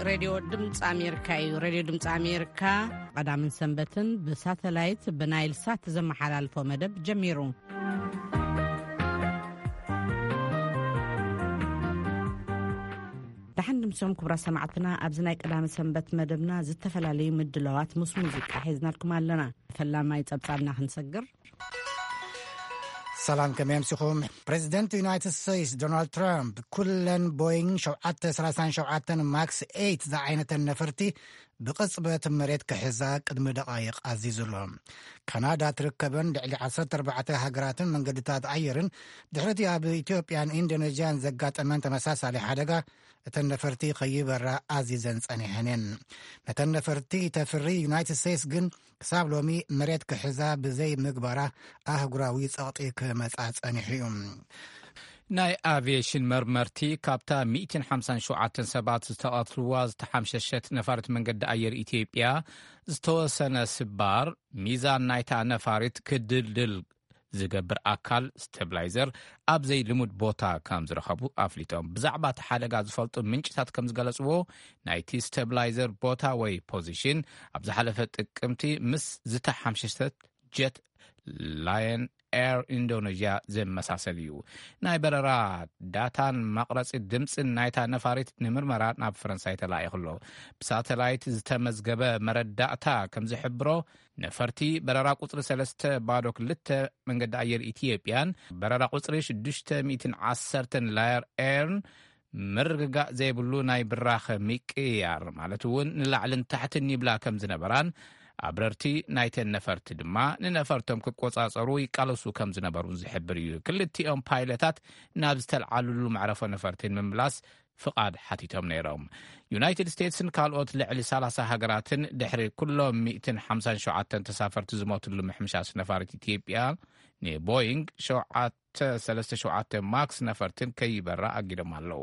ሬድዮ ድምፂ ኣሜሪካ እዩ። ሬድዮ ድምፂ ኣሜሪካ ቀዳምን ሰንበትን ብሳተላይት ብናይል ሳት ዘመሓላልፎ መደብ ጀሚሩ። ደሓን ድምሶም ክቡራት ሰማዕትና፣ ኣብዚ ናይ ቀዳመ ሰንበት መደብና ዝተፈላለዩ ምድላዋት ምስ ሙዚቃ ሒዝናልኩም ኣለና። ፈላማይ ጸብጻብና ክንሰግር። ሰላም፣ ከመይ ኣምሲኹም? ፕሬዚደንት ዩናይትድ ስቴትስ ዶናልድ ትራምፕ ኩለን ቦይንግ ሸውዓተ ሰላሳን ሸውዓተን ማክስ ኤይት ዝዓይነተን ነፈርቲ ብቕጽበት መሬት ክሕዛ ቅድሚ ደቓይቕ ኣዚዙ ኣሎ። ካናዳ ትርከበን ልዕሊ ዓሰርተ ኣርባዕተ ሃገራትን መንገድታት ኣየርን ድሕሪቲ ኣብ ኢትዮጵያን ኢንዶኔዥያን ዘጋጠመን ተመሳሳሊ ሓደጋ እተን ነፈርቲ ከይበራ ኣዚዘን ጸኒሐን እየን። ነተን ነፈርቲ ተፍሪ ዩናይትድ ስቴትስ ግን ክሳብ ሎሚ መሬት ክሕዛ ብዘይ ምግባራ ኣህጉራዊ ጸቕጢ ክመጻ ጸኒሑ እዩ። ናይ ኣቪዬሽን መርመርቲ ካብታ ሚእትን ሓምሳን ሸውዓተን ሰባት ዝተቐትልዋ ዝተሓምሸሸት ነፋሪት መንገዲ ኣየር ኢትዮጵያ ዝተወሰነ ስባር ሚዛን ናይታ ነፋሪት ክድልድል ዝገብር ኣካል ስቴብላይዘር ኣብ ዘይልሙድ ቦታ ከም ዝረኸቡ ኣፍሊጦም። ብዛዕባ እቲ ሓደጋ ዝፈልጡ ምንጭታት ከም ዝገለጽዎ፣ ናይቲ ስቴብላይዘር ቦታ ወይ ፖዚሽን ኣብ ዝሓለፈ ጥቅምቲ ምስ ዝተሓምሸሸት ጀት ላየን ኤር ኢንዶኔዥያ ዝመሳሰል እዩ። ናይ በረራ ዳታን መቕረጺ ድምፅን ናይታ ነፋሪት ንምርመራ ናብ ፈረንሳይ ተላኢኹ ኣሎ። ብሳተላይት ዝተመዝገበ መረዳእታ ከም ዝሕብሮ፣ ነፈርቲ በረራ ቁፅሪ ሰለስተ ባዶ ክልተ መንገዲ ኣየር ኢትዮጵያን በረራ ቁፅሪ ሽዱሽተ ሚእትን ዓሰርተን ላየር ኤርን ምርግጋእ ዘይብሉ ናይ ብራኸ ምቅያር፣ ማለት እውን ንላዕልን ታሕትን ይብላ ከም ዝነበራን፣ ኣብረርቲ ናይተን ነፈርቲ ድማ ንነፈርቶም ክቆጻጸሩ ይቃለሱ ከም ዝነበሩን ዝሕብር እዩ። ክልቲኦም ፓይለታት ናብ ዝተልዓልሉ መዕረፎ ነፈርቲ ንምምላስ ፍቓድ ሓቲቶም ነይሮም። ዩናይትድ ስቴትስን ካልኦት ልዕሊ ሰላሳ ሃገራትን ድሕሪ ኩሎም ሚእትን ሓምሳን ሸውዓተን ተሳፈርቲ ዝሞትሉ ምሕምሻስ ነፋሪት ኢትዮጵያ ንቦይንግ ሸውዓተ ሰለስተ ሸውዓተ ማክስ ነፈርትን ከይበራ ኣጊዶም ኣለዉ።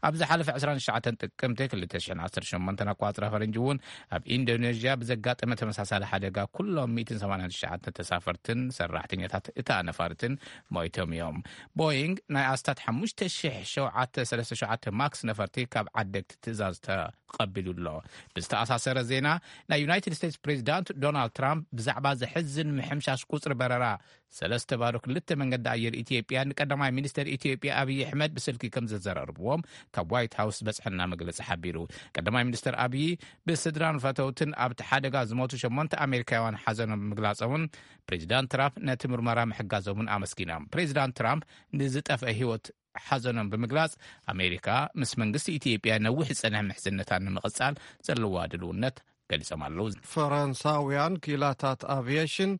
ኣብ ዝሓለፈ ዕስራን ትሽዓተን ጥቅምቲ ክልተ ሽሕን ዓሰርተ ሸሞንተን ኣቋጽራ ፈረንጂ እውን ኣብ ኢንዶኔዥያ ብዘጋጠመ ተመሳሳሊ ሓደጋ ኩሎም ሚእትን ሰማንያን ትሽዓተ ተሳፈርትን ሰራሕተኛታት እታ ነፋሪትን ሞይቶም እዮም። ቦይንግ ናይ ኣስታት ሓሙሽተ ሽሕ ሸውዓተ ሰለስተ ሸውዓተ ማክስ ነፈርቲ ካብ ዓደግቲ ትእዛዝ ተቐቢሉ ኣሎ። ብዝተኣሳሰረ ዜና፣ ናይ ዩናይትድ ስቴትስ ፕሬዚዳንት ዶናልድ ትራምፕ ብዛዕባ ዘሕዝን ምሕምሻሽ ቁጽሪ በረራ ሰለስተ ባዶ ክልተ መንገዲ ኣየር ኢትዮጵያ ንቀዳማይ ሚኒስተር ኢትዮጵያ ኣብይ ኣሕመድ ብስልኪ ከም ዘዘራርብዎም ካብ ዋይት ሃውስ ዝበጽሐና መግለጺ ሓቢሩ። ቀዳማይ ሚኒስተር ኣብይ ብስድራን ፈተውትን ኣብቲ ሓደጋ ዝሞቱ ሸሞንተ ኣሜሪካውያን ሓዘኖም ምግላጾምን ፕሬዚዳንት ትራምፕ ነቲ ምርመራ ምሕጋዞምን ኣመስጊኖም። ፕሬዚዳንት ትራምፕ ንዝጠፍአ ህይወት ሓዘኖም ብምግላጽ፣ ኣሜሪካ ምስ መንግስቲ ኢትዮጵያ ነዊሕ ዝጸንሐ ምሕዝነታ ንምቕጻል ዘለዋ ድልውነት ገሊጾም ኣለዉ። ፈረንሳውያን ክኢላታት ኣቪዬሽን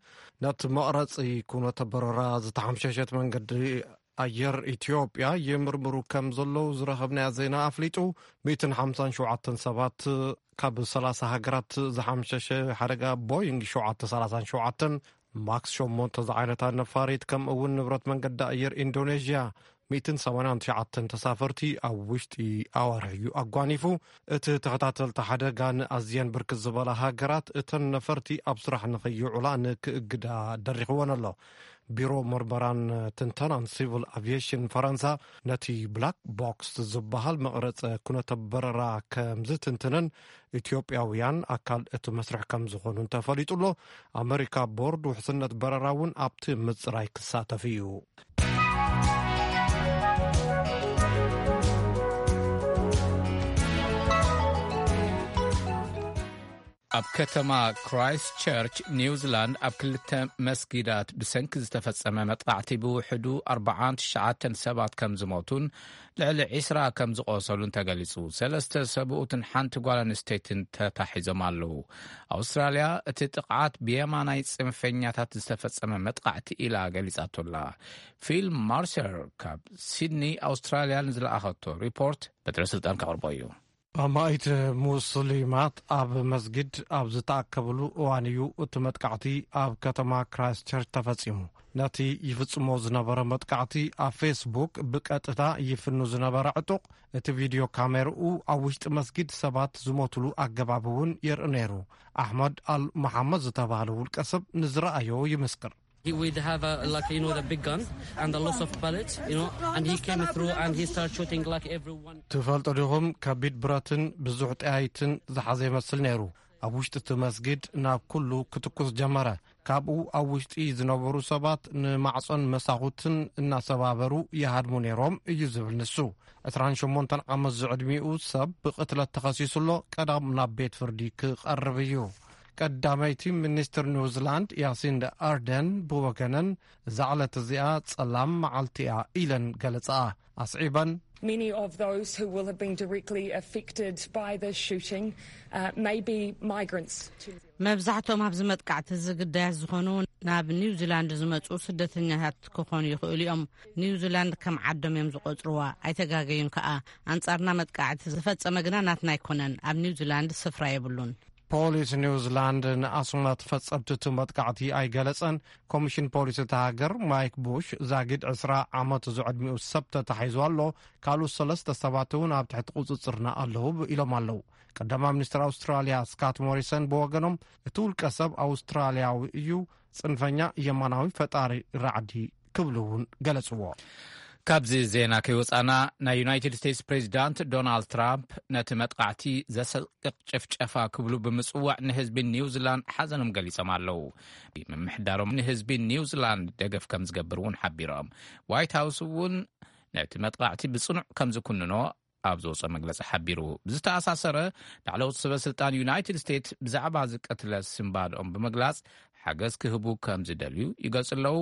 ነቲ መቕረጺ ኩነተ በረራ ዝተሓምሸሸት መንገዲ ኣየር ኢትዮጵያ ይምርምሩ ከም ዘለዉ ዝረኸብናዮ ዜና ኣፍሊጡ። ሚእትን ሓምሳን ሸውዓተን ሰባት ካብ ሰላሳ ሃገራት ዝሓምሸሸ ሓደጋ ቦይንግ ሸውዓተ ሰላሳን ሸውዓተን ማክስ ሸሞንተ ዝዓይነታ ነፋሪት፣ ከምኡ እውን ንብረት መንገዲ ኣየር ኢንዶኔዥያ ሚእትን ሰማንያን ትሽዓተን ተሳፈርቲ ኣብ ውሽጢ ኣዋርሕ እዩ ኣጓኒፉ። እቲ ተኸታተልቲ ሓደጋን ኣዝየን ብርክት ዝበላ ሃገራት እተን ነፈርቲ ኣብ ስራሕ ንኸይውዕላ ንክእግዳ ደሪኽወን ኣሎ። ቢሮ መርመራን ትንተናን ሲቪል ኣቪዬሽን ፈረንሳ ነቲ ብላክ ቦክስ ዝበሃል መቕረጸ ኩነተ በረራ ከም ዝትንትንን ኢትዮጵያውያን ኣካል እቲ መስርሕ ከም ዝኾኑን ተፈሊጡ ኣሎ። ኣመሪካ ቦርድ ውሕስነት በረራ እውን ኣብቲ ምጽራይ ክሳተፍ እዩ። ኣብ ከተማ ክራይስት ቸርች ኒውዚላንድ ኣብ ክልተ መስጊዳት ብሰንኪ ዝተፈጸመ መጥቃዕቲ ብውሕዱ ኣርባዓን ትሽዓተን ሰባት ከም ዝሞቱን ልዕሊ ዒስራ ከም ዝቖሰሉን ተገሊጹ። ሰለስተ ሰብኡትን ሓንቲ ጓል ኣንስተይትን ተታሒዞም ኣለዉ። ኣውስትራልያ እቲ ጥቕዓት ብየማናይ ጽንፈኛታት ዝተፈጸመ መጥቃዕቲ ኢላ ገሊጻቶ ኣላ። ፊል ማርሰር ካብ ሲድኒ ኣውስትራልያ ንዝለኣኸቶ ሪፖርት በትረ ስልጣን ከቕርቦ እዩ። ኣማኢት ሙስሊማት ኣብ መስጊድ ኣብ ዝተኣከብሉ እዋን እዩ እቲ መጥቃዕቲ ኣብ ከተማ ክራይስቸርች ተፈጺሙ። ነቲ ይፍጽሞ ዝነበረ መጥቃዕቲ ኣብ ፌስቡክ ብቀጥታ ይፍኑ ዝነበረ ዕጡቕ፣ እቲ ቪድዮ ካሜርኡ ኣብ ውሽጢ መስጊድ ሰባት ዝሞትሉ ኣገባብ እውን የርኢ ነይሩ። ኣሕመድ ኣል መሓመድ ዝተባህለ ውልቀ ሰብ ንዝረኣዮ ይምስክር። He would have a, like, you know, the big gun and a lot of bullets, you know, and he came through and he started shooting, like, everyone. ትፈልጡ ዲኹም? ከቢድ ብረትን ብዙሕ ጠያይትን ዝሓዘ ይመስል ነይሩ። ኣብ ውሽጢ እቲ መስጊድ ናብ ኩሉ ክትኩስ ጀመረ። ካብኡ ኣብ ውሽጢ ዝነበሩ ሰባት ንማዕጾን መሳኹትን እናሰባበሩ ይሃድሙ ነይሮም እዩ ዝብል ንሱ። ዕስራን ሸሞንተን ዓመት ዝዕድሚኡ ሰብ ብቕትለት ተኸሲሱ ኣሎ። ቀዳም ናብ ቤት ፍርዲ ክቐርብ እዩ። ቀዳመይቲ ሚኒስትር ኒውዚላንድ ያሲንዳ ኣርደን ብወገነን፣ እዛ ዕለት እዚኣ ጸላም መዓልቲ እያ ኢለን ገለጻ ኣስዒበን። Many of those who will have been directly affected by this shooting uh, may be migrants. To መብዛሕትኦም ኣብዚ መጥቃዕቲ እዚ ግዳያት ዝኾኑ ናብ ኒውዚላንድ ዝመጹ ስደተኛታት ክኾኑ ይኽእሉ እዮም። ኒውዚላንድ ከም ዓዶም እዮም ዝቖጽርዋ። ኣይተጋገዩን ከኣ። ኣንጻርና መጥቃዕቲ ዝፈጸመ ግና ናትና ኣይኮነን። ኣብ ኒውዚላንድ ስፍራ የብሉን። ፖሊስ ኒውዚላንድ ንኣስማት ፈጸምቲ እቲ መጥቃዕቲ ኣይገለጸን። ኮሚሽን ፖሊስ እታ ሃገር ማይክ ቡሽ፣ ዛጊድ ዕስራ ዓመት ዝዕድሚኡ ሰብ ተታሒዙ ኣሎ፣ ካልኦት ሰለስተ ሰባት እውን ኣብ ትሕቲ ቁጽጽርና ኣለዉ ኢሎም ኣለዉ። ቀዳማይ ሚኒስትር ኣውስትራልያ ስካት ሞሪሰን ብወገኖም፣ እቲ ውልቀ ሰብ ኣውስትራልያዊ እዩ፣ ጽንፈኛ የማናዊ ፈጣሪ ራዕዲ ክብሉ እውን ገለጽዎ። ካብዚ ዜና ከይወጻና፣ ናይ ዩናይትድ ስቴትስ ፕሬዚዳንት ዶናልድ ትራምፕ ነቲ መጥቃዕቲ ዘሰቅቕ ጭፍጨፋ ክብሉ ብምጽዋዕ ንህዝቢ ኒውዚላንድ ሓዘኖም ገሊጾም ኣለዉ። ምምሕዳሮም ንህዝቢ ኒውዚላንድ ደገፍ ከም ዝገብር እውን ሓቢሮም። ዋይት ሃውስ እውን ነቲ መጥቃዕቲ ብጽኑዕ ከም ዝኩንኖ ኣብ ዝወጾ መግለጺ ሓቢሩ። ብዝተኣሳሰረ፣ ላዕለዎት ሰበ ስልጣን ዩናይትድ ስቴትስ ብዛዕባ ዝቀትለ ስንባድኦም ብምግላጽ ሓገዝ ክህቡ ከም ዝደልዩ ይገልጹ ኣለዉ።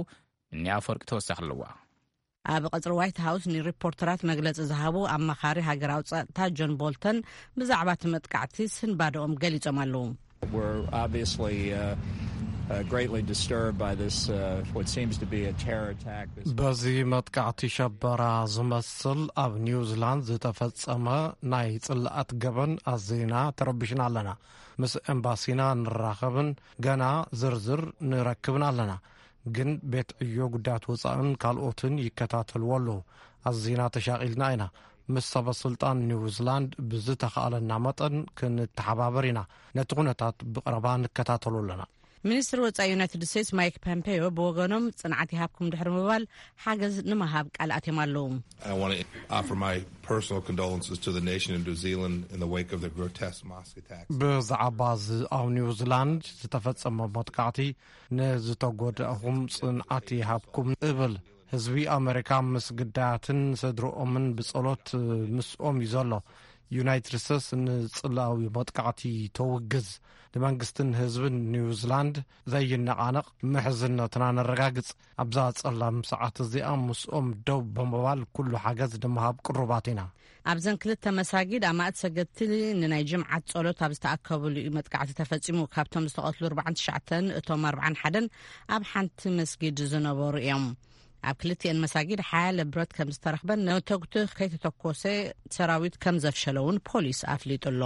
እኒ ኣፈወርቂ ተወሳኺ ኣለዋ። ኣብ ቀጽሪ ዋይት ሃውስ ንሪፖርተራት መግለጺ ዝሃቡ ኣማኻሪ ሃገራዊ ጸጥታ ጆን ቦልተን ብዛዕባ እቲ መጥቃዕቲ ስንባደኦም ገሊጾም ኣለዉ። We're obviously uh, uh, greatly disturbed by this, uh, what seems to be a terror attack. This በዚ መጥቃዕቲ ሸበራ ዝመስል ኣብ ኒውዚላንድ ዝተፈጸመ ናይ ጽልኣት ገበን ኣዚና ተረቢሽና ኣለና። ምስ ኤምባሲና ንራኸብን ገና ዝርዝር ንረክብን ኣለና። ግን ቤት ዕዮ ጉዳያት ወጻእን ካልኦትን ይከታተልዎ ኣለዉ። ኣዚና ተሻቒልና ኢና። ምስ ሰበ ስልጣን ኒውዚላንድ ብዝተኻእለና መጠን ክንተሓባበር ኢና። ነቲ ኩነታት ብቐረባ ንከታተሎ ኣለና። ሚኒስትር ወጻኢ ዩናይትድ ስቴትስ ማይክ ፖምፔዮ ብወገኖም፣ ጽንዓት ይሃብኩም ድሕሪ ምባል፣ ሓገዝ ንምሃብ ቃል ኣትዮም ኣለዉ። I want to offer my personal condolences to the nation of New Zealand in the wake of the grotesque mosque attack. ብዛዕባ እዚ ኣብ ኒውዚላንድ ዝተፈጸመ መጥቃዕቲ ንዝተጎዳእኹም ጽንዓት ይሃብኩም እብል። ህዝቢ ኣመሪካ ምስ ግዳያትን ስድርኦምን ብጸሎት ምስኦም እዩ ዘሎ። ዩናይትድ ስቴትስ ንጽላዊ መጥቃዕቲ ተውግዝ። ንመንግስትን ህዝብን ኒውዚላንድ ዘይነቓነቕ ምሕዝነትና ነረጋግጽ። ኣብዛ ጸላም ሰዓት እዚኣ ምስኦም ደው ብምባል ኩሉ ሓገዝ ንምሃብ ቅሩባት ኢና። ኣብዘን ክልተ መሳጊድ ኣማእት ሰገድቲ ንናይ ጅምዓት ጸሎት ኣብ ዝተኣከብሉ እዩ መጥቃዕቲ ተፈጺሙ። ካብቶም ዝተቐትሉ ኣርባዓን ትሽዓተን፣ እቶም ኣርባዓን ሓደን ኣብ ሓንቲ መስጊድ ዝነበሩ እዮም። ኣብ ክልቲኤን መሳጊድ ሓያለ ብረት ከም ዝተረኽበን ነተጉ ከይተተኮሰ ሰራዊት ከም ዘፍሸለ እውን ፖሊስ ኣፍሊጡ ኣሎ።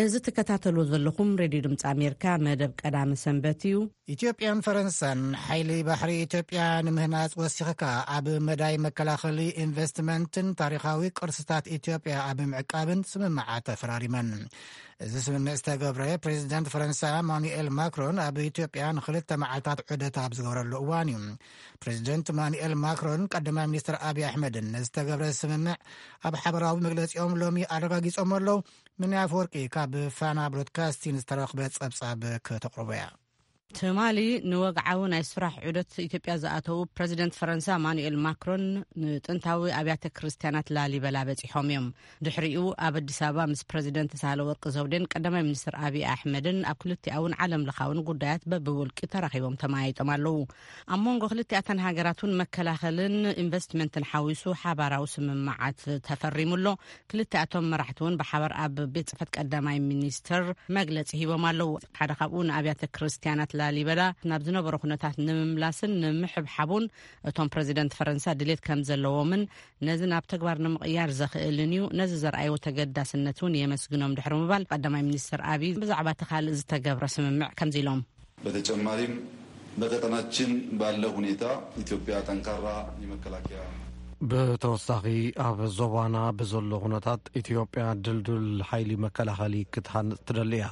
እዚ ትከታተልዎ ዘለኹም ሬድዮ ድምፂ ኣሜሪካ መደብ ቀዳመ ሰንበት እዩ። ኢትዮጵያን ፈረንሳን ሓይሊ ባሕሪ ኢትዮጵያ ንምህናፅ ወሲኽካ ኣብ መዳይ መከላኸሊ ኢንቨስትመንትን ታሪኻዊ ቅርስታት ኢትዮጵያ ኣብ ምዕቃብን ስምምዓት ተፈራሪመን። እዚ ስምምዕ ዝተገብረ ፕሬዚደንት ፈረንሳ ማኑኤል ማክሮን ኣብ ኢትዮጵያ ንክልተ መዓልታት ዑደት ኣብ ዝገበረሉ እዋን እዩ። ፕሬዚደንት ማኑኤል ማክሮን ቀዳማይ ሚኒስትር ኣብይ ኣሕመድን ንዝተገብረ ስምምዕ ኣብ ሓበራዊ መግለፂኦም ሎሚ ኣረጋጊፆም ኣለዉ። ምንያ ኣፈወርቂ ካብ ፋና ብሮድካስቲን ዝተረኽበ ጸብጻብ ከተቕርቦ እያ። ትማሊ ንወግዓዊ ናይ ስራሕ ዑደት ኢትዮጵያ ዝኣተዉ ፕረዚደንት ፈረንሳ ማኑኤል ማክሮን ንጥንታዊ ኣብያተ ክርስቲያናት ላሊበላ በጺሖም እዮም። ድሕሪኡ ኣብ ኣዲስ ኣበባ ምስ ፕረዚደንት ሳህለወርቅ ዘውዴን ቀዳማይ ሚኒስትር ኣብይ ኣሕመድን ኣብ ክልቲኣውን ዓለም ለኻውን ጉዳያት በብውልቂ ተራኺቦም ተመያይጦም ኣለዉ። ኣብ መንጎ ክልቲኣተን ሃገራት እውን መከላኸልን ኢንቨስትመንትን ሓዊሱ ሓባራዊ ስምምዓት ተፈሪሙ ኣሎ። ክልቲኣቶም መራሕቲ እውን ብሓባር ኣብ ቤት ጽሕፈት ቀዳማይ ሚኒስትር መግለጺ ሂቦም ኣለዉ። ሓደ ካብኡ ንኣብያተ ክርስቲያናት ላሊበላ ናብ ዝነበሮ ኩነታት ንምምላስን ንምሕብሓቡን እቶም ፕረዚደንት ፈረንሳ ድሌት ከም ዘለዎምን ነዚ ናብ ተግባር ንምቕያር ዘኽእልን እዩ። ነዚ ዘርኣይዎ ተገዳስነት እውን የመስግኖም ድሕሪ ምባል ቀዳማይ ሚኒስትር ኣብይ ብዛዕባ እቲ ካልእ ዝተገብረ ስምምዕ ከምዚ ኢሎም። በተጨማሪም በቀጠናችን ባለው ሁኔታ ኢትዮጵያ ጠንካራ የመከላከያ ብተወሳኺ፣ ኣብ ዞባና ብዘሎ ኩነታት ኢትዮጵያ ድልዱል ሓይሊ መከላኸሊ ክትሃንጽ ትደሊ እያ።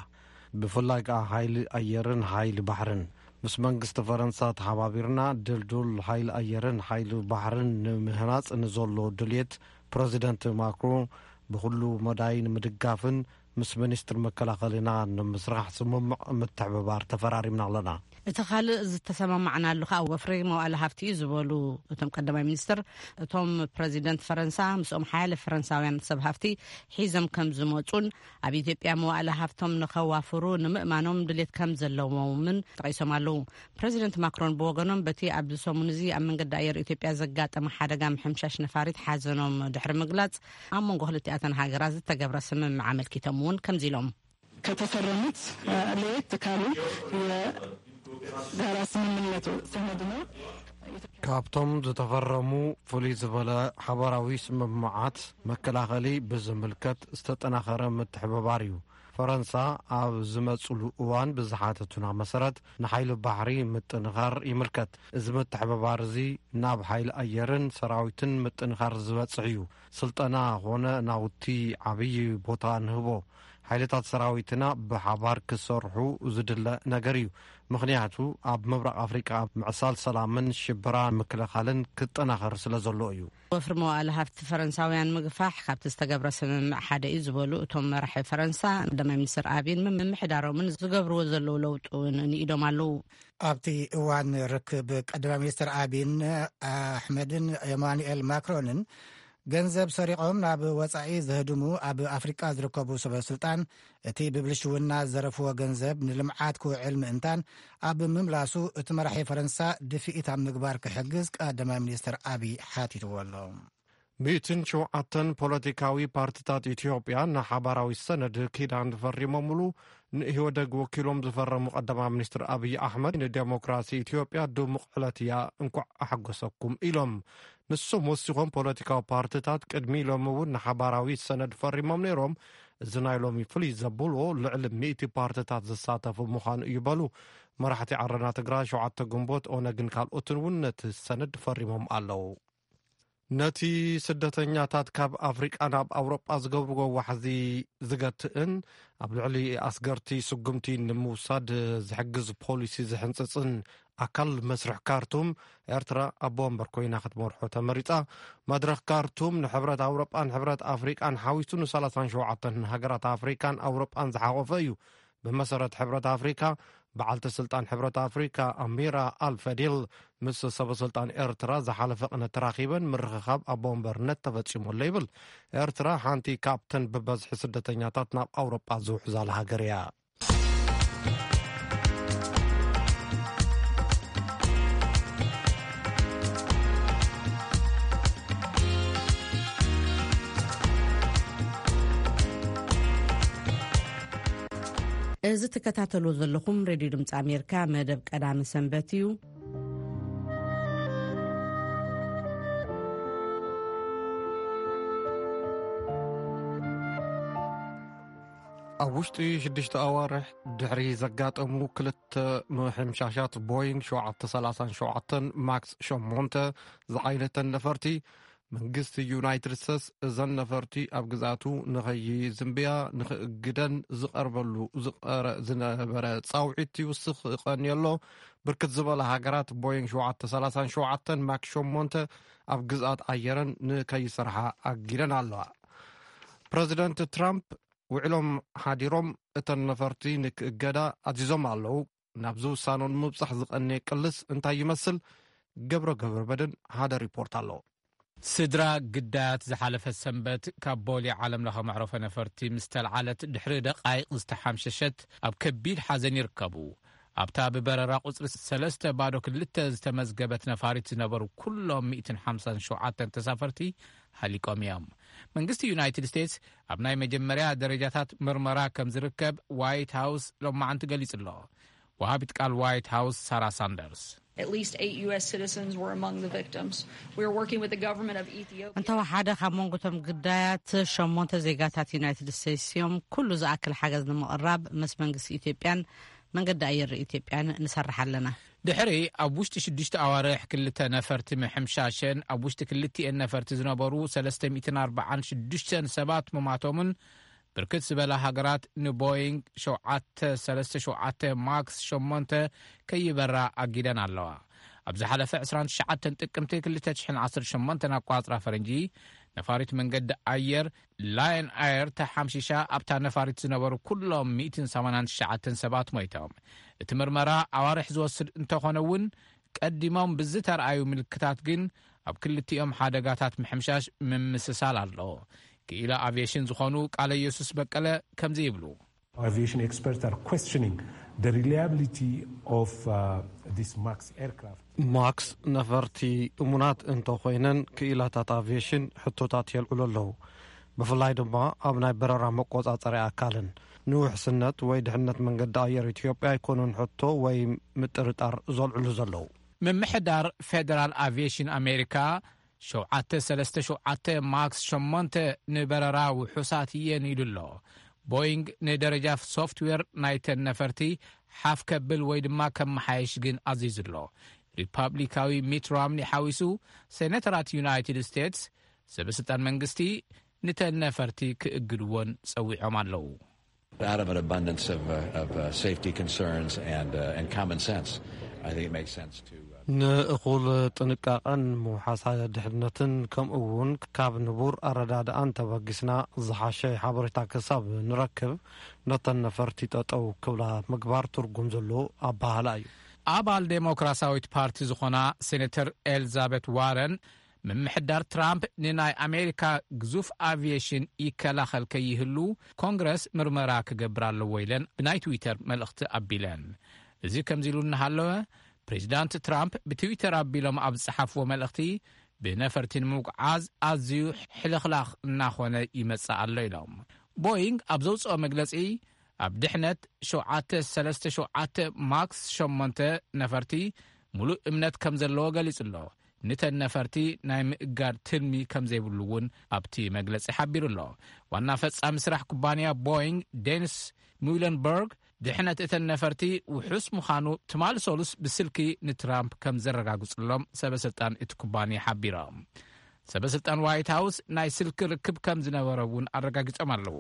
ብፍላይ ከኣ ሓይሊ ኣየርን ሓይሊ ባሕርን። ምስ መንግስቲ ፈረንሳ ተሓባቢርና ድልዱል ሓይሊ ኣየርን ሓይሊ ባሕርን ንምህናጽ ንዘሎ ድልየት ፕረዚደንት ማክሮን ብኹሉ መዳይ ንምድጋፍን ምስ ሚኒስትር መከላኸሊና ንምስራሕ ስምምዕ ምትሕብባር ተፈራሪምና ኣለና። እቲ ካልእ ዝተሰማማዕናሉ ከኣ ወፍሪ መዋእለ ሃፍቲ እዩ ዝበሉ እቶም ቀዳማይ ሚኒስትር፣ እቶም ፕረዚደንት ፈረንሳ ምስኦም ሓያለ ፈረንሳውያን ሰብ ሃፍቲ ሒዞም ከም ዝመጹን ኣብ ኢትዮጵያ መዋእለ ሃፍቶም ንኸዋፍሩ ንምእማኖም ድሌት ከም ዘለዎምን ጠቒሶም ኣለዉ። ፕረዚደንት ማክሮን ብወገኖም በቲ ኣብዚ ሰሙን እዚ ኣብ መንገዲ ኣየር ኢትዮጵያ ዘጋጠመ ሓደጋ ምሕምሻሽ ነፋሪት ሓዘኖም ድሕሪ ምግላጽ ኣብ መንጎ ክልቲኣተን ሃገራት ዝተገብረ ስምምዕ ኣመልኪቶም እውን ከምዚ ኢሎም። ከተፈረሙት ለየት ካሉ የጋራ ስምምነቱ ሰነድ ነው። ካብቶም ዝተፈረሙ ፍሉይ ዝበለ ሓበራዊ ስምምዓት መከላኸሊ ብዝምልከት ዝተጠናኸረ ምትሕብባር እዩ። ፈረንሳ ኣብ ዝመጽሉ እዋን ብዝሓተቱና መሰረት ንሓይሊ ባሕሪ ምጥንኻር ይምልከት። እዚ ምትሕብባር እዚ ናብ ሓይሊ ኣየርን ሰራዊትን ምጥንኻር ዝበጽሕ እዩ። ስልጠና ኾነ ናውቲ ዓብዪ ቦታ ንህቦ። ሓይልታት ሰራዊትና ብሓባር ክሰርሑ ዝድለ ነገር እዩ። ምኽንያቱ ኣብ ምብራቕ ኣፍሪቃ ምዕሳል ሰላምን ሽበራ ምክልኻልን ክጠናኸር ስለ ዘሎ እዩ። ወፍሪ መዋእለ ሃፍቲ ፈረንሳውያን ምግፋሕ ካብቲ ዝተገብረ ስምምዕ ሓደ እዩ ዝበሉ እቶም መራሒ ፈረንሳ፣ ቀዳማይ ሚኒስትር ኣቢን ምምሕዳሮምን ዝገብርዎ ዘለዉ ለውጢ እውን ንኢዶም ኣለዉ። ኣብቲ እዋን ርክብ ቀዳማይ ሚኒስትር ኣቢን ኣሕመድን ኤማኑኤል ማክሮንን ገንዘብ ሰሪቖም ናብ ወጻኢ ዘህድሙ ኣብ ኣፍሪቃ ዝርከቡ ሰበ ስልጣን፣ እቲ ብብልሽውና ዝዘረፍዎ ገንዘብ ንልምዓት ክውዕል ምእንታን ኣብ ምምላሱ እቲ መራሒ ፈረንሳ ድፍኢት ኣብ ምግባር ክሕግዝ ቀዳማይ ሚኒስትር ኣቢይ ሓቲትዎ ኣሎ። ሚእትን ሸውዓተን ፖለቲካዊ ፓርትታት ኢትዮጵያ ንሓባራዊ ሰነድ ኪዳን ፈሪሞምሉ ንኢህወደግ ወኪሎም ዝፈረሙ ቀዳማይ ሚኒስትር ኣብይ ኣሕመድ፣ ንዴሞክራሲ ኢትዮጵያ ድሙቕ ዕለት እያ፣ እንኳዕ ኣሐጎሰኩም ኢሎም። ንሶም ወሲኾም፣ ፖለቲካዊ ፓርትታት ቅድሚ ሎሚ እውን ንሓባራዊ ሰነድ ፈሪሞም ነይሮም። እዚ ናይ ሎሚ ፍልይ ዘብልዎ ልዕሊ ሚእቲ ፓርትታት ዝሳተፉ ምዃኑ እዩ በሉ። መራሕቲ ዓረና ትግራይ፣ ሸውዓተ ግንቦት፣ ኦነግን ካልኦትን እውን ነቲ ሰነድ ፈሪሞም ኣለዉ። ነቲ ስደተኛታት ካብ ኣፍሪቃ ናብ ኣውሮጳ ዝገብርዎ ዋሕዚ ዝገትእን ኣብ ልዕሊ ኣስገርቲ ስጉምቲ ንምውሳድ ዝሕግዝ ፖሊሲ ዝሕንጽጽን ኣካል መስርሕ ካርቱም፣ ኤርትራ ኣቦ ወንበር ኮይና ክትመርሖ ተመሪጻ። መድረኽ ካርቱም ንሕብረት ኣውሮጳን ሕብረት ኣፍሪቃን ሓዊሱ ን ሰላሳን ሸውዓተን ሃገራት ኣፍሪቃን ኣውሮጳን ዝሓቖፈ እዩ። ብመሰረት ሕብረት ኣፍሪካ፣ በዓልቲ ስልጣን ሕብረት ኣፍሪካ ኣሚራ ኣልፈዲል ምስ ሰበ ስልጣን ኤርትራ ዝሓለፈ ቅነ ተራኺበን ምርኽኻብ ኣቦ ወንበርነት ተፈጺሙ ኣሎ ይብል። ኤርትራ ሓንቲ ካብተን ብበዝሒ ስደተኛታት ናብ ኣውሮጳ ዝውሕዛላ ሃገር እያ። እዚ ትከታተልዎ ዘለኹም ሬድዮ ድምፂ ኣሜሪካ መደብ ቀዳሚ ሰንበት እዩ። ኣብ ውሽጢ ሽዱሽተ ኣዋርሕ ድሕሪ ዘጋጠሙ ክልተ ምሕምሻሻት ቦይንግ ሸውዓተ ሰላሳን ሸውዓተን ማክስ ሸሞንተ ዝዓይነተን ነፈርቲ፣ መንግስቲ ዩናይትድ ስቴትስ እዘን ነፈርቲ ኣብ ግዝኣቱ ንኸይዝንብያ ንኽእግደን ዝቐርበሉ ዝቐረ ዝነበረ ጻውዒት ይውስኽ ቀንዩ ኣሎ። ብርክት ዝበላ ሃገራት ቦይንግ ሸውዓተ ሰላሳን ሸውዓተን ማክስ ሸሞንተ ኣብ ግዝኣት ኣየረን ንከይሰርሓ ኣጊደን ኣለዋ። ፕረዚደንት ትራምፕ ውዕሎም ሓዲሮም እተን ነፈርቲ ንክእገዳ ኣዚዞም ኣለዉ። ናብዚ ውሳኖ ንምብጻሕ ዝቐነየ ቅልስ እንታይ ይመስል? ገብረ ገብረ መድን ሓደ ሪፖርት ኣሎ። ስድራ ግዳያት ዝሓለፈ ሰንበት ካብ ቦሌ ዓለም ለኸ መዕረፎ ነፈርቲ ምስ ተልዓለት ድሕሪ ደቃይቕ ዝተሓምሸሸት ኣብ ከቢድ ሓዘን ይርከቡ። ኣብታ ብበረራ ቁጽሪ ሰለስተ ባዶ ክልተ ዝተመዝገበት ነፋሪት ዝነበሩ ኩሎም ሚእትን ሓምሳን ሸውዓተን ተሳፈርቲ ሃሊቆም እዮም። መንግስቲ ዩናይትድ ስቴትስ ኣብ ናይ መጀመርያ ደረጃታት ምርመራ ከም ዝርከብ ዋይት ሃውስ ሎማዓንቲ ገሊጹ ኣሎ። ወሃቢት ቃል ዋይት ሃውስ ሳራ ሳንደርስ። At least eight U S citizens were among the victims. We are working with the government of Ethiopia. እንተወሓደ ካብ መንጎ እቶም ግዳያት ሸሞንተ ዜጋታት ዩናይትድ ስቴትስ እዮም። ኩሉ ዝኣክል ሓገዝ ንምቕራብ ምስ መንግስቲ ኢትዮጵያን መንገዲ ኣየር ኢትዮጵያን ንሰርሕ ኣለና። ድሕሪ ኣብ ውሽጢ ሽዱሽተ ኣዋርሕ ክልተ ነፈርቲ ምሕምሻሸን ኣብ ውሽጢ ክልቲኤን ነፈርቲ ዝነበሩ ሰለስተ ሚእትን ኣርባዓን ሽዱሽተን ሰባት ምማቶምን ብርክት ዝበላ ሃገራት ንቦይንግ ሸውዓተ ሰለስተ ሸውዓተ ማክስ ሸሞንተ ከይበራ ኣጊደን ኣለዋ። ኣብ ዝሓለፈ ዕስራን ትሽዓተን ጥቅምቲ ክልተ ሽሕን ዓሰርተ ሸሞንተን ኣቋጽራ ፈረንጂ ነፋሪት መንገዲ ኣየር ላየን ኣየር ተሓምሺሻ ኣብታ ነፋሪት ዝነበሩ ኩሎም ሚእትን ሰማንያን ትሽዓተን ሰባት ሞይቶም። እቲ ምርመራ ኣዋርሕ ዝወስድ እንተኾነ እውን ቀዲሞም ብዝተረኣዩ ምልክታት ግን ኣብ ክልቲኦም ሓደጋታት ምሕምሻሽ ምምስሳል ኣሎ። ክኢላ ኣቪዬሽን ዝኾኑ ቃለ ኢየሱስ በቀለ ከምዚ ይብሉ። Aviation experts are questioning the reliability of uh, this Max aircraft. ማክስ ነፈርቲ እሙናት እንተኾይነን ክኢላታት ኣቪዬሽን ሕቶታት የልዕሉ ኣለዉ። ብፍላይ ድማ ኣብ ናይ በረራ መቆጻጸሪ ኣካልን ንውሕስነት ወይ ድሕነት መንገዲ ኣየር ኢትዮጵያ ኣይኮኑን ሕቶ ወይ ምጥርጣር ዘልዕሉ ዘለዉ። ምምሕዳር ፌደራል ኣቪዬሽን ኣሜሪካ ሸውዓተ ሰለስተ ሸውዓተ ማክስ ሸሞንተ ንበረራ ውሑሳት እየን ኢሉ ኣሎ። ቦይንግ ንደረጃ ሶፍትዌር ናይተን ነፈርቲ ሓፍ ከብል ወይ ድማ ከመሓየሽ ግን ኣዚዙ ኣሎ። ሪፓብሊካዊ ሚት ሮምኒ ሓዊሱ ሴኔተራት ዩናይትድ ስቴትስ ሰበስልጣን መንግስቲ ንተን ነፈርቲ ክእግድዎን ጸዊዖም ኣለዉ። Out of an abundance of, uh, of uh, safety concerns and, uh, and common sense, I think it makes sense to. Uh, ንእኹል ጥንቃቐን ምውሓሳ ድሕነትን ከምኡ እውን ካብ ንቡር ኣረዳድኣን ተበጊስና ዝሓሸ ሓበሬታ ክሳብ ንረክብ ነተን ነፈርቲ ጠጠው ክብላ ምግባር ትርጉም ዘለዎ ኣባህላ እዩ። ኣባል ዴሞክራሲያዊት ፓርቲ ዝኾና ሴኔተር ኤልዛቤት ዋረን ምምሕዳር ትራምፕ ንናይ ኣሜሪካ ግዙፍ ኣቪዬሽን ይከላኸል ከይህሉ ኮንግረስ ምርመራ ክገብር ኣለዎ ኢለን ብናይ ትዊተር መልእኽቲ ኣቢለን። እዚ ከምዚ ኢሉ እናሃለወ ፕሬዚዳንት ትራምፕ ብትዊተር ኣቢሎም ኣብ ዝጸሓፍዎ መልእኽቲ ብነፈርቲ ንምጉዓዝ ኣዝዩ ሕልኽላኽ እናኾነ ይመጽእ ኣሎ ኢሎም። ቦይንግ ኣብ ዘውፅኦ መግለጺ ኣብ ድሕነት ሸውዓተ ሰለስተ ሸውዓተ ማክስ ሸሞንተ ነፈርቲ ሙሉእ እምነት ከም ዘለዎ ገሊጹ ኣሎ። ንተን ነፈርቲ ናይ ምእጋድ ትልሚ ከም ዘይብሉ እውን ኣብቲ መግለጺ ሓቢሩ ኣሎ። ዋና ፈጻሚ ስራሕ ኩባንያ ቦይንግ ዴኒስ ሙለንበርግ ድሕነት እተን ነፈርቲ ውሑስ ምዃኑ ትማሊ ሰሉስ ብስልኪ ንትራምፕ ከም ዘረጋግጹሎም ሰበስልጣን እቲ ኩባንያ ሓቢሮም። ሰበስልጣን ዋይት ሃውስ ናይ ስልኪ ርክብ ከም ዝነበረ እውን ኣረጋጊጾም ኣለዉ።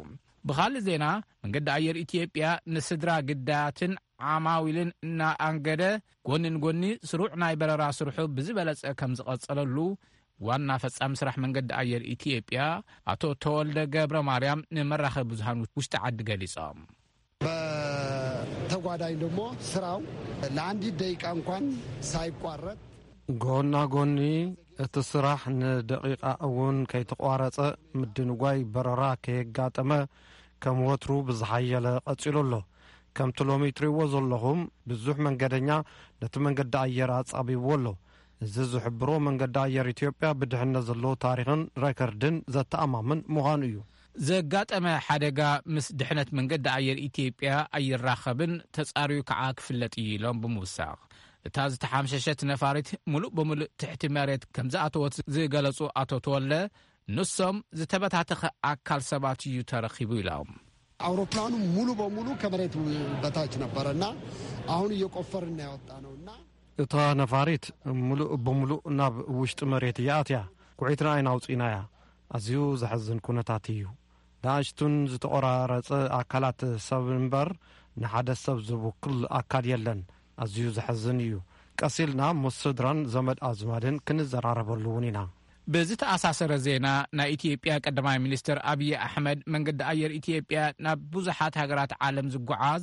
ብኻልእ ዜና መንገዲ ኣየር ኢትዮጵያ ንስድራ ግዳያትን ዓማዊልን እናኣንገደ ጎኒ ንጎኒ ስሩዕ ናይ በረራ ስርሑ ብዝበለጸ ከም ዝቐጸለሉ ዋና ፈጻሚ ስራሕ መንገዲ ኣየር ኢትዮጵያ ኣቶ ተወልደ ገብረ ማርያም ንመራኸቢ ብዙሃን ውሽጢ ዓዲ ገሊጾም። በተጓዳኝ ደግሞ ስራው ለአንዲት ደቂቃ እንኳን ሳይቋረጥ ጎና ጎኒ እቲ ስራሕ ንደቂቃ እውን ከይተቋረጸ ምድንጓይ በረራ ከየጋጠመ ከም ወትሩ ብዝሓየለ ቀጺሉ ኣሎ። ከምቲ ሎሚ ትሪእዎ ዘለኹም ብዙሕ መንገደኛ ነቲ መንገዲ ኣየር ኣጻቢብዎ ኣሎ። እዚ ዝሕብሮ መንገዲ ኣየር ኢትዮጵያ ብድሕነት ዘለዎ ታሪኽን ሬከርድን ዘተኣማምን ምዃኑ እዩ። ዘጋጠመ ሓደጋ ምስ ድሕነት መንገዲ ኣየር ኢትዮጵያ ኣይራኸብን፣ ተጻርዩ ከዓ ክፍለጥ እዩ ኢሎም ብምውሳኽ እታ ዝተሓምሸሸት ነፋሪት ሙሉእ ብምሉእ ትሕቲ መሬት ከም ዝኣተወት ዝገለጹ ኣቶ ተወልደ ንሶም ዝተበታተኸ ኣካል ሰባት እዩ ተረኺቡ ኢሎም። አውሮፕላኑ ሙሉ በሙሉ ከመሬት በታች ነበረ እና አሁን እየቆፈርን ያወጣ ነው እና እታ ነፋሪት ምሉእ ብምሉእ ናብ ውሽጢ መሬት እያ ኣትያ። ኩዒትና ኣይናውፂናያ። ኣዝዩ ዘሕዝን ኩነታት እዩ። ንኣሽቱን ዝተቆራረፀ ኣካላት ሰብ እምበር ንሓደ ሰብ ዝውክል ኣካል የለን። ኣዝዩ ዘሕዝን እዩ። ቀስ ኢልና ምስ ስድራን ዘመድ ኣዝማድን ክንዘራረበሉ እውን ኢና። ብዝተኣሳሰረ ዜና ናይ ኢትዮጵያ ቀዳማይ ሚኒስትር ኣብይ ኣሕመድ መንገዲ ኣየር ኢትዮጵያ ናብ ብዙሓት ሃገራት ዓለም ዝጓዓዝ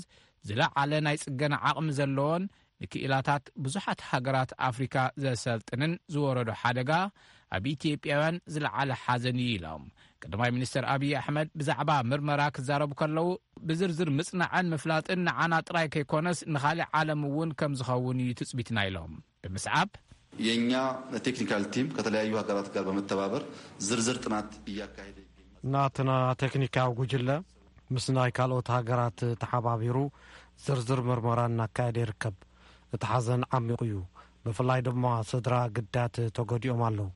ዝለዓለ ናይ ጽገና ዓቕሚ ዘለዎን ንክኢላታት ብዙሓት ሃገራት ኣፍሪካ ዘሰልጥንን ዝወረዶ ሓደጋ ኣብ ኢትዮጵያውያን ዝለዓለ ሓዘን እዩ ኢሎም። ቀዳማይ ሚኒስትር ኣብይ ኣሕመድ ብዛዕባ ምርመራ ክዛረቡ ከለዉ ብዝርዝር ምጽናዕን ምፍላጥን ንዓና ጥራይ ከይኮነስ ንኻሊእ ዓለም እውን ከም ዝኸውን እዩ ትጽቢትና ኢሎም ብምስዓብ የኛ ቴክኒካል ቲም ከተለያዩ ሀገራት ጋር በመተባበር ዝርዝር ጥናት እያካሄደ ይገኛል። ናትና ቴክኒካዊ ጉጅለ ምስ ናይ ካልኦት ሃገራት ተሓባቢሩ ዝርዝር ምርመራ እናካየደ ይርከብ። እቲ ሓዘን ዓሚቑ እዩ። ብፍላይ ድማ ስድራ ግዳያት ተጎዲኦም ኣለዉ።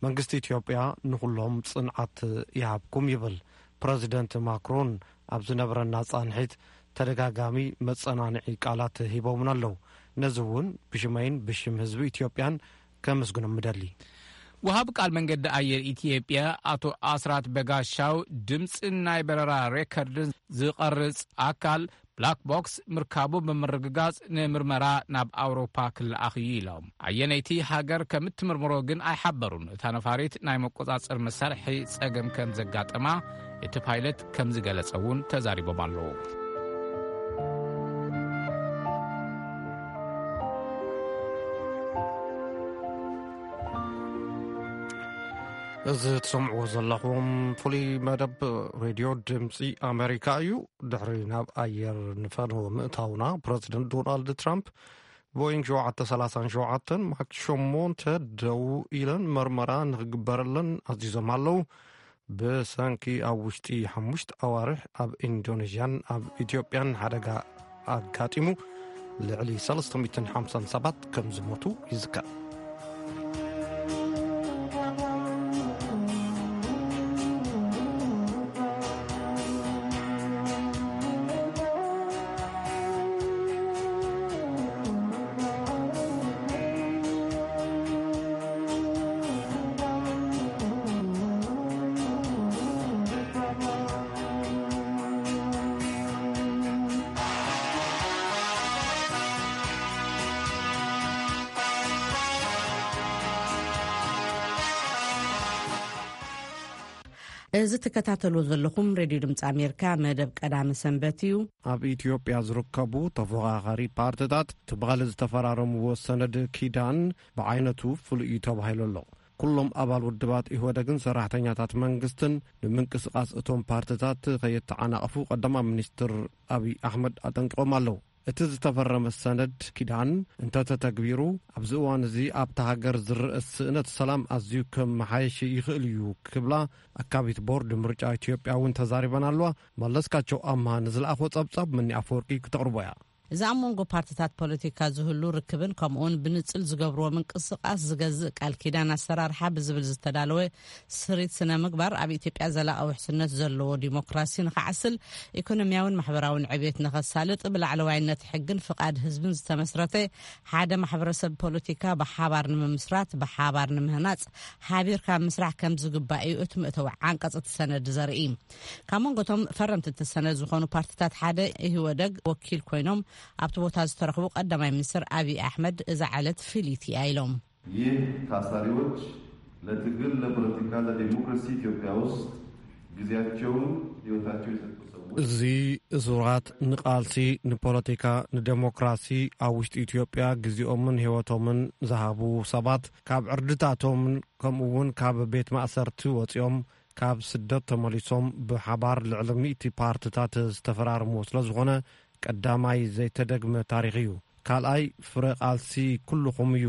መንግስቲ ኢትዮጵያ ንኹሎም ጽንዓት ይሃብኩም ይብል ፕረዚደንት ማክሮን ኣብ ዝነበረና ጻንሒት ተደጋጋሚ መጸናንዒ ቃላት ሂቦምና ኣለዉ። ነዚ እውን ብሽመይን ብሽም ህዝቢ ኢትዮጵያን ከመስግኖም ምደሊ። ወሃብ ቃል መንገዲ ኣየር ኢትዮጵያ ኣቶ ኣስራት በጋሻው፣ ድምፂ ናይ በረራ ሬከርድን ዝቐርጽ ኣካል ብላክ ቦክስ ምርካቡ ብምርግጋጽ፣ ንምርመራ ናብ ኣውሮፓ ክለኣኽ እዩ ኢሎም። ኣየነይቲ ሃገር ከም እትምርምሮ ግን ኣይሓበሩን። እታ ነፋሪት ናይ መቆጻጸር መሳርሒ ጸገም ከም ዘጋጠማ እቲ ፓይለት ከም ዝገለጸ እውን ተዛሪቦም ኣለዉ። እዚ ትሰምዕዎ ዘለኹም ፍሉይ መደብ ሬድዮ ድምፂ ኣሜሪካ እዩ። ድሕሪ ናብ ኣየር ንፈነወ ምእታውና፣ ፕረዚደንት ዶናልድ ትራምፕ ቦይንግ ሸውዓተ ሰላሳን ሸውዓተን ማክስ ሸሞንተ ደው ኢለን መርመራ ንኽግበረለን ኣዚዞም ኣለዉ። ብሰንኪ ኣብ ውሽጢ ሓሙሽተ ኣዋርሕ ኣብ ኢንዶኔዥያን ኣብ ኢትዮጵያን ሓደጋ ኣጋጢሙ ልዕሊ ሰለስተ ሚእትን ሓምሳን ሰባት ከም ዝሞቱ ይዝከር። እዚ ትከታተልዎ ዘለኹም ሬድዮ ድምፂ ኣሜሪካ መደብ ቀዳመ ሰንበት እዩ። ኣብ ኢትዮጵያ ዝርከቡ ተፎኻኻሪ ፓርቲታት ትማሊ ዝተፈራረምዎ ሰነድ ኪዳን ብዓይነቱ ፍሉይ እዩ ተባሂሉ ኣሎ። ኩሎም ኣባል ውድባት ኢህወደግን ሰራሕተኛታት መንግስትን ንምንቅስቓስ እቶም ፓርቲታት ከየተዓናቕፉ ቀዳማይ ሚኒስትር ኣብይ ኣሕመድ ኣጠንቂቖም ኣለዉ። እቲ ዝተፈረመ ሰነድ ኪዳን እንተተተግቢሩ፣ ኣብዚ እዋን እዚ ኣብታ ሃገር ዝረአ ስእነት ሰላም ኣዝዩ ከመሓየሽ ይኽእል እዩ ክብላ ኣካቢት ቦርድ ምርጫ ኢትዮጵያ እውን ተዛሪበን ኣለዋ። መለስካቸው ኣምሃ ንዝለኣኾ ጸብጻብ መኒ ኣፈወርቂ ክተቕርቦ እያ። እዚ ኣብ መንጎ ፓርቲታት ፖለቲካ ዝህሉ ርክብን ከምኡውን ብንጽል ዝገብርዎ ምንቅስቓስ ዝገዝእ ቃል ኪዳን ኣሰራርሓ ብዝብል ዝተዳለወ ስሪት ስነ ምግባር ኣብ ኢትዮጵያ ዘላቒ ውሕስነት ዘለዎ ዲሞክራሲ ንኽዓስል፣ ኢኮኖሚያውን ማሕበራውን ዕብየት ንኸሳልጥ፣ ብላዕለዋይነት ሕግን ፍቓድ ህዝብን ዝተመስረተ ሓደ ማሕበረሰብ ፖለቲካ ብሓባር ንምምስራት፣ ብሓባር ንምህናጽ፣ ሓቢርካ ምስራሕ ከም ዝግባእ እዩ እቲ መእተዊ ዓንቀጽ እቲ ሰነድ ዘርኢ። ካብ መንጎ እቶም ፈረምቲ እቲ ሰነድ ዝኾኑ ፓርቲታት ሓደ ኢህወደግ ወኪል ኮይኖም ኣብቲ ቦታ ዝተረኽቡ ቀዳማይ ሚኒስትር ኣብይ ኣሕመድ፣ እዛ ዕለት ፍልይቲ እያ ኢሎም። ይህ ታሳሪዎች ለትግል ለፖለቲካ ለዲሞክራሲ ኢትዮጵያ ውስጥ ጊዜያቸውን ህይወታቸው የሰጡ ሰዎች፣ እዚ እሱራት ንቃልሲ ንፖለቲካ ንዴሞክራሲ ኣብ ውሽጢ ኢትዮጵያ ግዜኦምን ህይወቶምን ዝሃቡ ሰባት፣ ካብ ዕርድታቶምን ከምኡ እውን ካብ ቤት ማእሰርቲ ወፂኦም ካብ ስደት ተመሊሶም ብሓባር ልዕሊ ሚእቲ ፓርትታት ዝተፈራረምዎ ስለ ዝኾነ፣ ቀዳማይ ዘይተደግመ ታሪኽ እዩ። ካልኣይ ፍረ ቃልሲ ኩልኹም እዩ።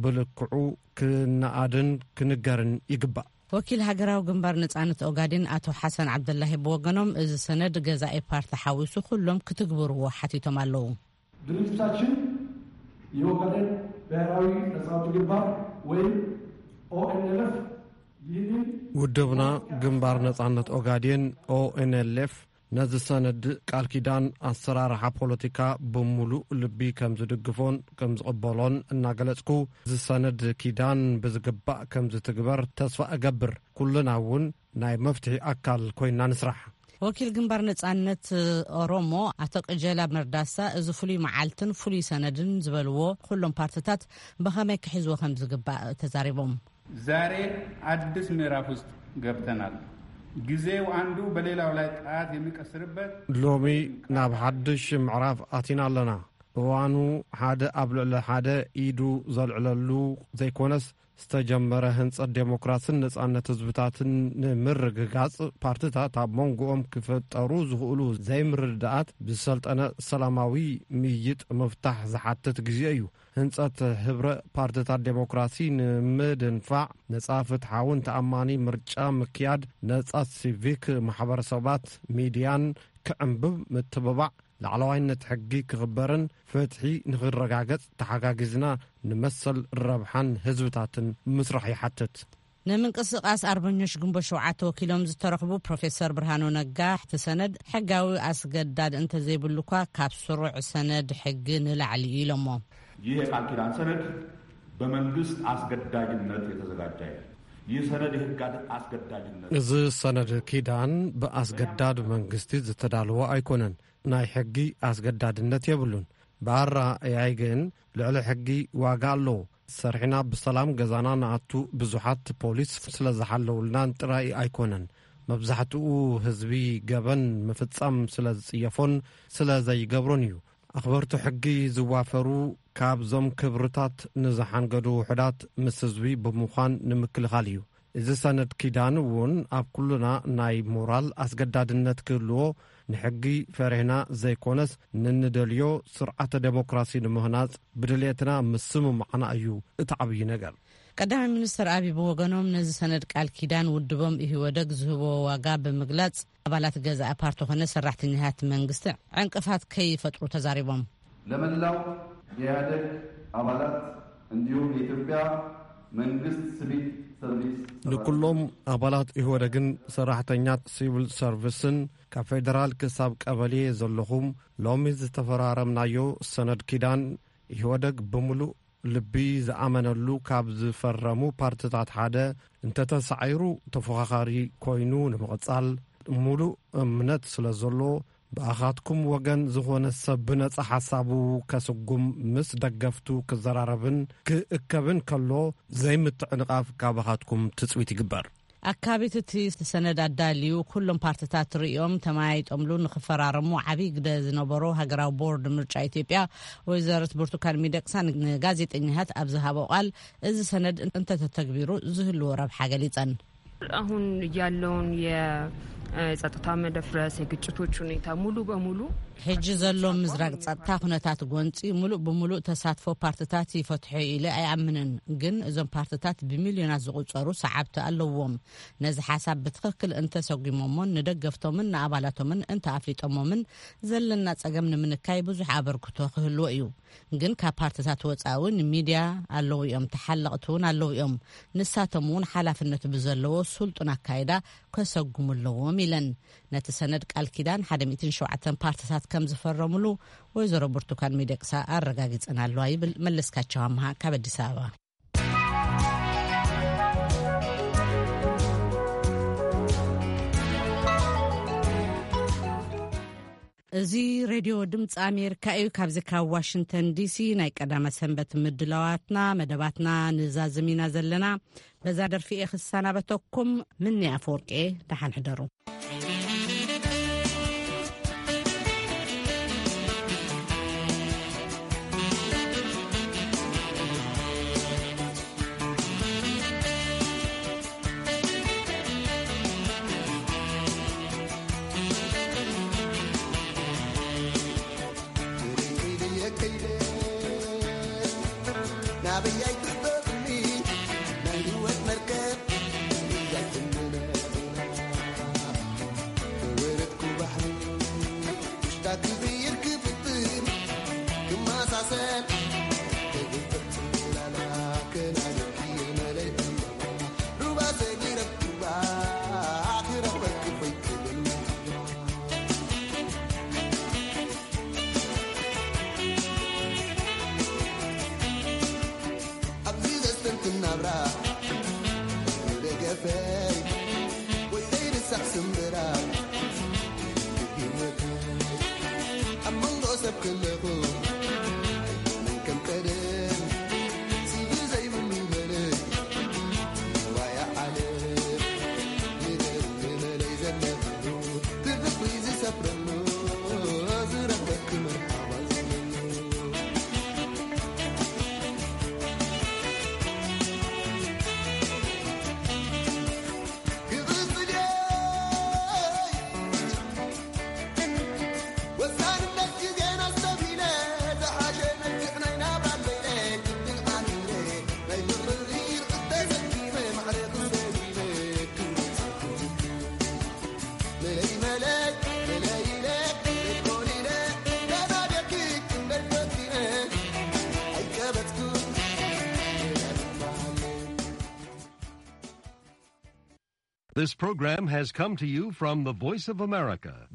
ብልክዑ ክነኣድን ክንገርን ይግባእ። ወኪል ሃገራዊ ግንባር ነጻነት ኦጋዴን ኣቶ ሓሰን ዓብደላሂ ብወገኖም፣ እዚ ሰነድ ገዛኢ ፓርቲ ሓዊሱ ኩሎም ክትግብርዎ ሓቲቶም ኣለዉ። ድርጅታችን የኦጋዴን ብሔራዊ ነጻ አውጪ ግንባር ወይም ኦኤንኤልኤፍ ይህንን ውድብና ግንባር ነጻነት ኦጋዴን፣ ኦኤንኤልኤፍ፣ ነዚ ሰነድ ቃል ኪዳን ኣሰራርሓ ፖለቲካ ብምሉእ ልቢ ከም ዝድግፎን ከም ዝቕበሎን እናገለጽኩ፣ እዚ ሰነድ ኪዳን ብዝግባእ ከም ዝትግበር ተስፋ እገብር። ኩልና እውን ናይ መፍትሒ ኣካል ኮይና ንስራሕ። ወኪል ግንባር ነጻነት ኦሮሞ ኣቶ ቅጀላ መርዳሳ፣ እዚ ፍሉይ መዓልትን ፍሉይ ሰነድን ዝበልዎ ኩሎም ፓርትታት ብኸመይ ክሕዝዎ ከም ዝግባእ ተዛሪቦም። ዛሬ አዲስ ምዕራፍ ውስጥ ገብተናል። ጊዜው አንዱ በሌላው ላይ ጣት የሚቀስርበት። ሎሚ ናብ ሓድሽ ምዕራፍ ኣቲና ኣለና። እዋኑ ሓደ ኣብ ልዕሊ ሓደ ኢዱ ዘልዕለሉ ዘይኮነስ፣ ዝተጀመረ ህንጸት ዴሞክራስን ነጻነት ህዝብታትን ንምርግጋጽ፣ ፓርትታት ኣብ መንጎኦም ክፈጠሩ ዝኽእሉ ዘይምርድዳኣት ብዝሰልጠነ ሰላማዊ ምይይጥ ምፍታሕ ዝሓትት ግዜ እዩ። ህንጸት ህብረ ፓርትታት ዴሞክራሲ ንምድንፋዕ፣ ነጻ፣ ፍትሓውን ተኣማኒ ምርጫ ምክያድ፣ ነጻ ሲቪክ ማሕበረሰባት፣ ሚድያን ክዕንብብ ምትብባዕ፣ ላዕለዋይነት ሕጊ ክኽበርን ፍትሒ ንኽረጋገጽ ተሓጋጊዝና ንመሰል ረብሓን ህዝብታትን ምስራሕ ይሓትት። ንምንቅስቃስ ኣርበኞች ግንቦት ሸውዓተ ወኪሎም ዝተረኽቡ ፕሮፌሰር ብርሃኑ ነጋ፣ እቲ ሰነድ ሕጋዊ ኣስገዳድ እንተዘይብሉ እኳ፣ ካብ ስሩዕ ሰነድ ሕጊ ንላዕሊ እዩ ኢሎሞ። ይህ የቃል ኪዳን ሰነድ በመንግስት አስገዳጅነት የተዘጋጀ አይደለም። ይህ ሰነድ የህግ አስገዳጅነት እዚ ሰነድ ኪዳን ብኣስገዳድ መንግስቲ ዝተዳለወ ኣይኮነን። ናይ ሕጊ ኣስገዳድነት የብሉን። ብኣረኣእያይ ግን ልዕሊ ሕጊ ዋጋ ኣለዎ። ሰሪሕና ብሰላም ገዛና ንኣቱ ብዙሓት ፖሊስ ስለ ዝሓለውልናን ጥራይ ኣይኮነን። መብዛሕትኡ ህዝቢ ገበን ምፍጻም ስለ ዝጽየፎን ስለ ዘይገብሮን እዩ። ኣኽበርቲ ሕጊ ዝዋፈሩ ካብዞም ክብርታት ንዝሓንገዱ ውሑዳት ምስ ህዝቢ ብምዃን ንምክልኻል እዩ። እዚ ሰነድ ኪዳን እውን ኣብ ኩልና ናይ ሞራል ኣስገዳድነት ክህልዎ፣ ንሕጊ ፈሪህና ዘይኮነስ፣ ንንደልዮ ስርዓተ ዴሞክራሲ ንምህናጽ ብድልየትና ምስምማዕና እዩ እቲ ዓብዪ ነገር። ቀዳማይ ሚኒስትር ኣብይ ብወገኖም፣ ነዚ ሰነድ ቃል ኪዳን ውድቦም ኢህወደግ ዝህቦ ዋጋ ብምግላጽ፣ ኣባላት ገዛኢ ፓርቲ ኮነ ሰራሕተኛታት መንግስቲ ዕንቅፋት ከይፈጥሩ ተዛሪቦም። ለመላው የኢህአደግ አባላት እንዲሁም የኢትዮጵያ መንግስት ሲቪል ሰርቪስ ንኩሎም ኣባላት ኢህወደግን ሰራሕተኛት ሲቪል ሰርቪስን፣ ካብ ፌደራል ክሳብ ቀበሌ ዘለኹም፣ ሎሚ ዝተፈራረምናዮ ሰነድ ኪዳን፣ ኢህወደግ ብምሉእ ልቢ ዝኣመነሉ ካብ ዝፈረሙ ፓርትታት ሓደ እንተተሳዒሩ፣ ተፎኻኻሪ ኮይኑ ንምቕጻል ሙሉእ እምነት ስለ ዘሎ፣ ብኣኻትኩም ወገን ዝኾነ ሰብ ብነጻ ሓሳቡ ከስጉም ምስ ደገፍቱ ክዘራረብን ክእከብን ከሎ፣ ዘይምትዕንቓፍ ካባኻትኩም ትጽቢት ይግበር። ኣካቢት እቲ ሰነድ ኣዳልዩ፣ ኩሎም ፓርትታት ርእዮም ተመያይጦምሉ ንኽፈራረሙ ዓብዪ ግደ ዝነበሮ ሃገራዊ ቦርድ ምርጫ ኢትዮጵያ ወይዘሮት ብርቱካን ሚደቅሳ ንጋዜጠኛታት ኣብ ዝሃቦ ቃል፣ እዚ ሰነድ እንተተተግቢሩ ዝህልዎ ረብሓ ገሊጸን። አሁን ያለውን የጸጥታ መደፍረስ፣ የግጭቶች ሁኔታ ሙሉ በሙሉ ሕጂ ዘሎ ምዝራግ ጸጥታ ኩነታት ጎንጺ፣ ሙሉእ ብሙሉእ ተሳትፎ ፓርትታት ይፈትሖ ኢለ ኣይኣምንን። ግን እዞም ፓርትታት ብሚልዮናት ዝቑጸሩ ሰዓብቲ ኣለዎም። ነዚ ሓሳብ ብትኽክል እንተሰጒሞሞን ንደገፍቶምን ንኣባላቶምን እንተኣፍሊጦሞምን፣ ዘለና ጸገም ንምንካይ ብዙሕ ኣበርክቶ ክህልዎ እዩ። ግን ካብ ፓርትታት ወጻኢ እውን ሚድያ ኣለዉ እዮም፣ ተሓለቕቲ እውን ኣለዉ እዮም። ንሳቶም እውን ሓላፍነት ብዘለዎ ስልጡን ኣካይዳ ከሰጉሙ ኣለዎም ኢለን። ነቲ ሰነድ ቃል ኪዳን ሓደ ሚእትን ሸውዓተን ፓርትታት ከም ዝፈረምሉ ወይዘሮ ብርቱካን ሚደቅሳ ኣረጋጊጸን ኣለዋ ይብል መለስካቸው ኣምሃ ካብ ኣዲስ ኣበባ። እዚ ሬድዮ ድምፂ ኣሜሪካ እዩ። ካብዚ ካብ ዋሽንግተን ዲሲ ናይ ቀዳመ ሰንበት ምድላዋትና፣ መደባትና ንዛዝም ኢና ዘለና። በዛ ደርፊ እየ ክሰናበተኩም። ምኒ ኣፈወርቂ እየ። ደሓን ሕደሩ። This program has come to you from the Voice of America.